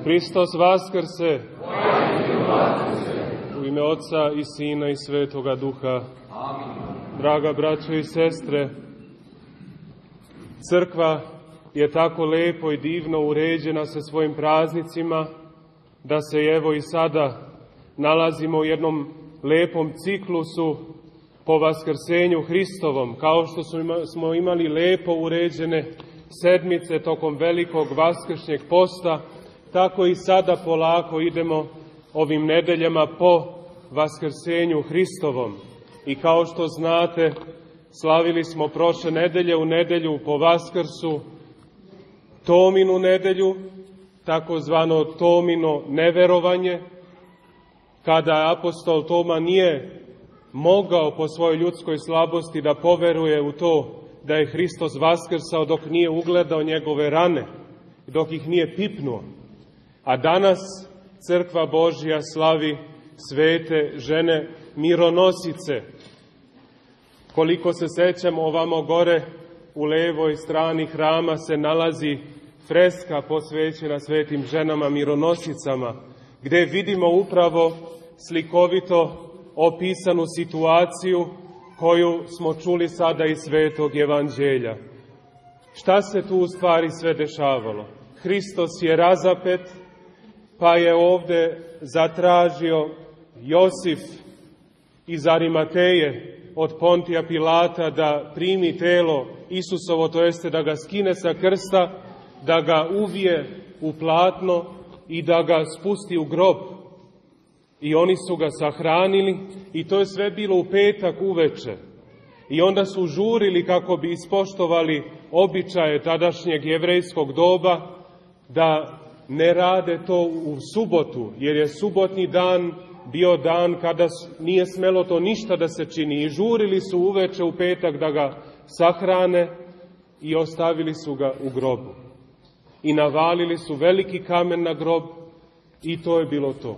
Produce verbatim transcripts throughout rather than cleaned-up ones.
Hristos vaskrse! U ime Oca i Sina i Svetoga Duha. Amin. Draga braćo i sestre, crkva je tako lepo i divno uređena sa svojim praznicima, da se evo i sada nalazimo u jednom lepom ciklusu po vaskrsenju Hristovom, kao što smo imali lepo uređene sedmice tokom velikog vaskršnjeg posta, tako i sada polako idemo ovim nedeljama po vaskrsenju Hristovom. I kao što znate, slavili smo prošle nedelje u nedelju po Vaskrsu Tominu nedelju, takozvano Tomino neverovanje, kada apostol Toma nije mogao po svojoj ljudskoj slabosti da poveruje u to da je Hristos vaskrsao dok nije ugledao njegove rane, dok ih nije pipnuo. A danas Crkva Božja slavi svete žene mironosice. Koliko se sećamo, ovamo gore u levoj strani hrama se nalazi freska posvećena svetim ženama mironosicama, gde vidimo upravo slikovito opisanu situaciju koju smo čuli sada iz Svetog Evanđelja. Šta se tu u stvari sve dešavalo? Hristos je razapet, pa je ovde zatražio Josif iz Arimateje od Pontija Pilata da primi telo Isusovo, to jeste da ga skine sa krsta, da ga uvije u platno i da ga spusti u grob. I oni su ga sahranili i to je sve bilo u petak uveče. I onda su žurili kako bi ispoštovali običaje tadašnjeg jevrejskog doba da ne rade to u subotu, jer je subotni dan bio dan kada nije smelo to ništa da se čini. I žurili su uveče u petak da ga sahrane i ostavili su ga u grobu. I navalili su veliki kamen na grob i to je bilo to.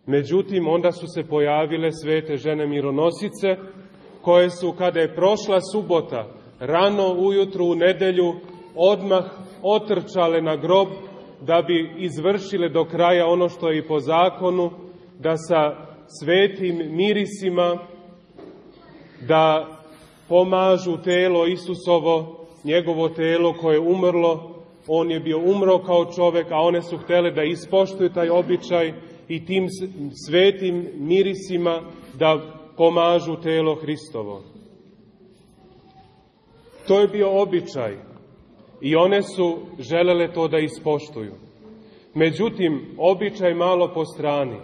Međutim, onda su se pojavile svete žene mironosice, koje su, kada je prošla subota, rano ujutru u nedelju, odmah otrčale na grob da bi izvršile do kraja ono što je i po zakonu, da sa svetim mirisima da pomažu telo Isusovo, njegovo telo koje je umrlo. On je bio umro kao čovek, a one su htele da ispoštuju taj običaj i tim svetim mirisima da pomažu telo Hristovo. To je bio običaj i one su želele to da ispoštuju. Međutim, običaj malo po strani.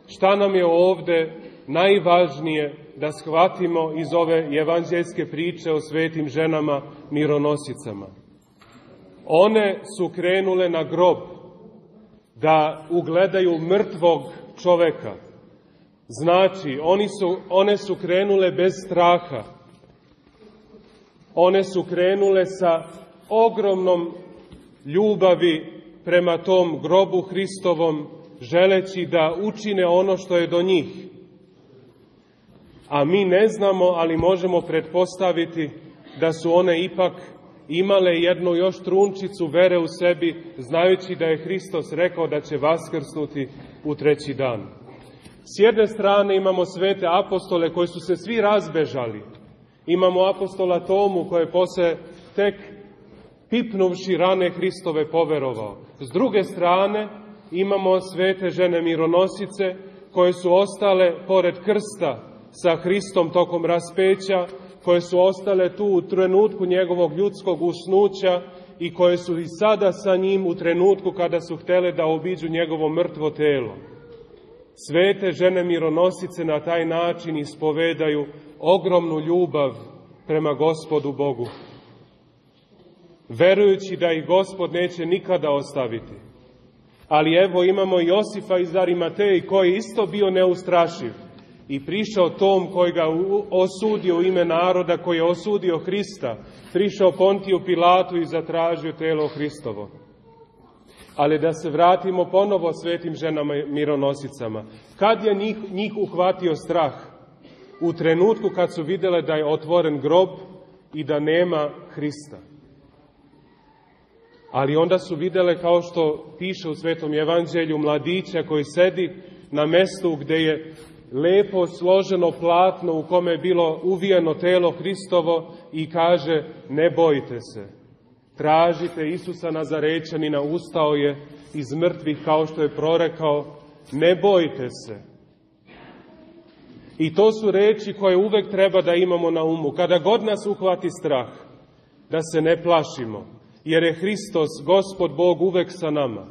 Šta nam je ovde najvažnije da shvatimo iz ove evanđeljske priče o svetim ženama mironosicama? One su krenule na grob da ugledaju mrtvog čoveka. Znači, oni su, one su krenule bez straha. One su krenule sa ogromnom ljubavi prema tom grobu Hristovom, želeći da učine ono što je do njih. A mi ne znamo, ali možemo pretpostaviti da su one ipak imale jednu još trunčicu vere u sebi, znajući da je Hristos rekao da će vaskrsnuti u treći dan. S jedne strane imamo svete apostole koji su se svi razbežali. Imamo apostola Tomu koji je posle tek pipnuvši rane Hristove poverovao. S druge strane imamo svete žene mironosice koje su ostale pored krsta sa Hristom tokom raspeća, koje su ostale tu u trenutku njegovog ljudskog usnuća i koje su i sada sa njim u trenutku kada su htele da obiđu njegovo mrtvo telo. Svete žene mironosice na taj način ispovedaju ogromnu ljubav prema Gospodu Bogu, verujući da ih Gospod neće nikada ostaviti. Ali evo imamo Josifa iz Arimateji koji je isto bio neustrašiv i prišao tom koji ga osudio u ime naroda, koji je osudio Hrista, prišao Pontiju Pilatu i zatražio telo Hristovo. Ali da se vratimo ponovo svetim ženama mironosicama. Kad je njih, njih uhvatio strah? U trenutku kad su videle da je otvoren grob i da nema Hrista. Ali onda su videle, kao što piše u Svetom evanđelju, mladića koji sedi na mestu gde je lepo složeno platno u kome je bilo uvijeno telo Hristovo i kaže: ne bojte se, tražite Isusa Nazarečanina, ustao je iz mrtvih kao što je prorekao, ne bojte se. I to su reči koje uvek treba da imamo na umu. Kada god nas uhvati strah, da se ne plašimo, jer je Hristos, Gospod Bog, uvek sa nama,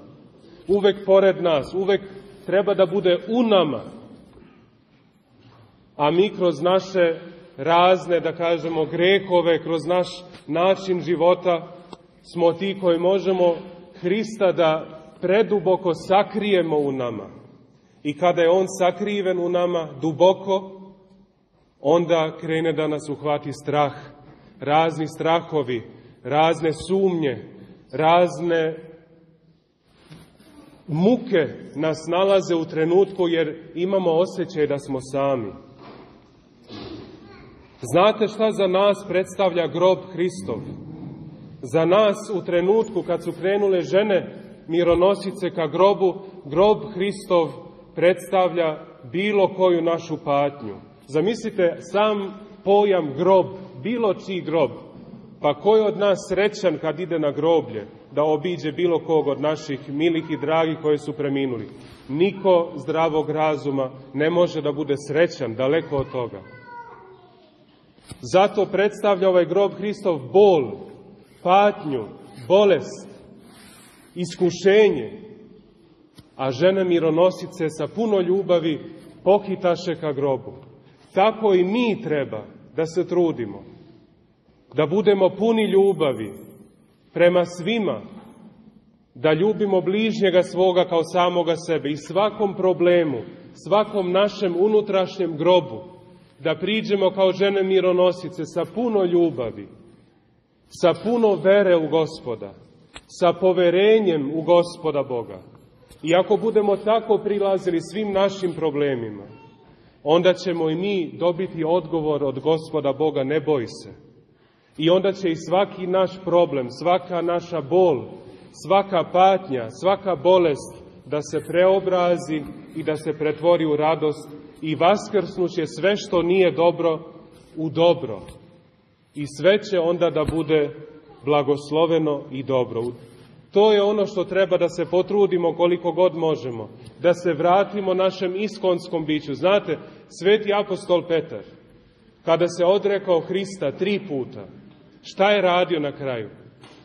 uvek pored nas, uvek treba da bude u nama. A mi kroz naše razne, da kažemo, grehove, kroz naš način života, smo ti koji možemo Hrista da preduboko sakrijemo u nama. I kada je on sakriven u nama duboko, onda krene da nas uhvati strah, razni strahovi, razne sumnje, razne muke nas nalaze u trenutku jer imamo osjećaj da smo sami. Znate šta za nas predstavlja grob Hristov? Za nas u trenutku kad su krenule žene mironosice ka grobu, grob Hristov predstavlja bilo koju našu patnju. Zamislite sam pojam grob, bilo čiji grob. Pa ko je od nas srećan kad ide na groblje da obiđe bilo kog od naših milih i dragih koji su preminuli? Niko zdravog razuma ne može da bude srećan, daleko od toga. Zato predstavlja ovaj grob Hristov bol, patnju, bolest, iskušenje, a žene mironosice sa puno ljubavi pohitaše ka grobu. Tako i mi treba da se trudimo, da budemo puni ljubavi prema svima, da ljubimo bližnjega svoga kao samoga sebe i svakom problemu, svakom našem unutrašnjem grobu, da priđemo kao žene mironosice sa puno ljubavi, sa puno vere u Gospoda, sa poverenjem u Gospoda Boga. I ako budemo tako prilazili svim našim problemima, onda ćemo i mi dobiti odgovor od Gospoda Boga: ne boj se. I onda će i svaki naš problem, svaka naša bol, svaka patnja, svaka bolest da se preobrazi i da se pretvori u radost i vaskrsnuće sve što nije dobro u dobro. I sve će onda da bude blagosloveno i dobro. To je ono što treba da se potrudimo koliko god možemo, da se vratimo našem iskonskom biću. Znate, sveti apostol Petar, kada se odrekao Hrista tri puta, šta je radio na kraju?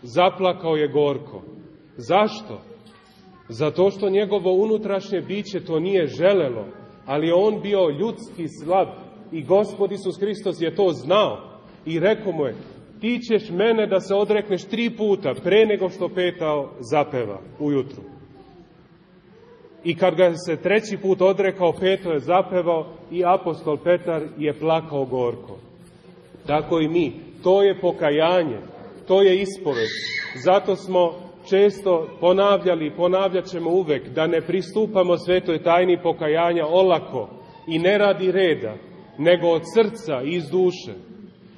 Zaplakao je gorko. Zašto? Zato što njegovo unutrašnje biće to nije želelo, ali je on bio ljudski slab i Gospod Isus Hristos je to znao i rekao mu je: ti ćeš mene da se odrekneš tri puta pre nego što petao zapeva ujutru. I kad ga se treći put odrekao, peto je zapevao i apostol Petar je plakao gorko. Tako i mi. To je pokajanje, to je ispoved. Zato smo često ponavljali i ponavljat ćemo uvek da ne pristupamo svetoj tajni pokajanja olako i ne radi reda, nego od srca i iz duše.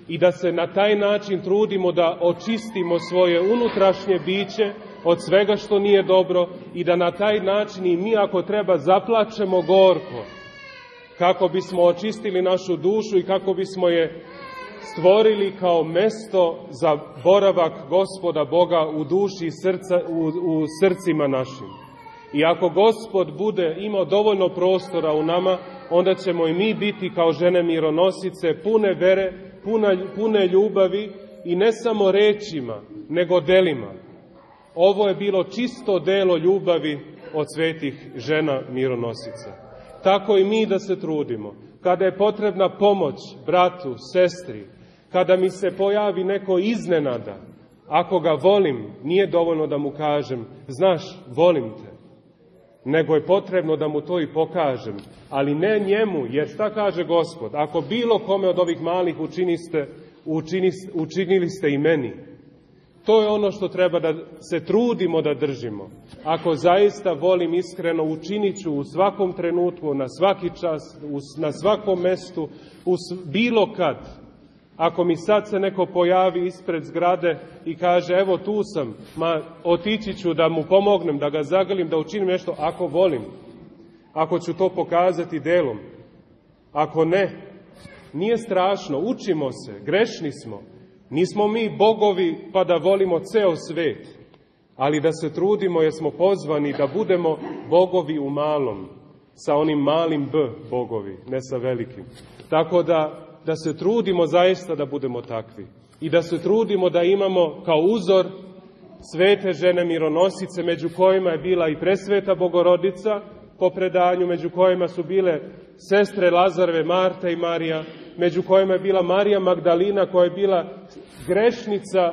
I da se na taj način trudimo da očistimo svoje unutrašnje biće od svega što nije dobro i da na taj način i mi, ako treba, zaplačemo gorko, kako bismo očistili našu dušu i kako bismo je stvorili kao mesto za boravak Gospoda Boga u duši i srca, u, u srcima našim. I ako Gospod bude imao dovoljno prostora u nama, onda ćemo i mi biti kao žene mironosice, pune vere, puna, pune ljubavi i ne samo rečima, nego delima. Ovo je bilo čisto delo ljubavi od svetih žena mironosica. Tako i mi da se trudimo. Kada je potrebna pomoć bratu, sestri, kada mi se pojavi neko iznenada, ako ga volim, nije dovoljno da mu kažem: znaš, volim te. Nego je potrebno da mu to i pokažem. Ali ne njemu, jer šta kaže Gospod? Ako bilo kome od ovih malih učiniste, učiniste, učinili ste i meni. To je ono što treba da se trudimo da držimo. Ako zaista volim iskreno, učinit ću u svakom trenutku, na svaki čas, na svakom mestu, u bilo kad. Ako mi sad se neko pojavi ispred zgrade i kaže, evo tu sam, ma otići ću da mu pomognem, da ga zagrlim, da učinim nešto, ako volim, ako ću to pokazati delom. Ako ne, nije strašno, učimo se, grešni smo. Nismo mi bogovi pa da volimo ceo svet, ali da se trudimo jer smo pozvani da budemo bogovi u malom, sa onim malim b bogovi, ne sa velikim. Tako da da se trudimo zaista da budemo takvi i da se trudimo da imamo kao uzor svete žene mironosice, među kojima je bila i presveta Bogorodica po predanju, među kojima su bile sestre Lazareve, Marta i Marija, među kojima je bila Marija Magdalina, koja je bila grešnica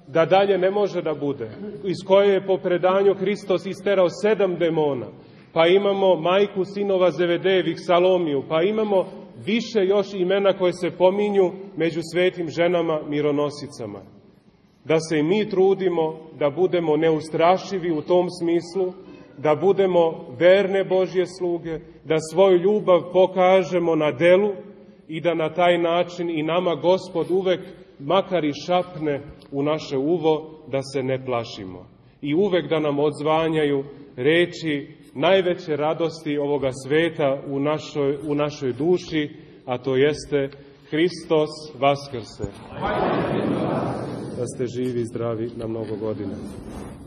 da dalje ne može da bude, iz koje je po predanju Hristos isterao sedam demona. Pa imamo majku sinova Zevedejevih, Salomiju, pa imamo više još imena koje se pominju među svetim ženama mironosicama. Da se i mi trudimo da budemo neustrašivi u tom smislu, da budemo verne Božje sluge, da svoju ljubav pokažemo na delu i da na taj način i nama Gospod uvek makar i šapne u naše uvo da se ne plašimo. I uvek da nam odzvanjaju reči najveće radosti ovoga sveta u našoj, u našoj duši, a to jeste Hristos Vaskrse. Da ste živi i zdravi na mnogo godina.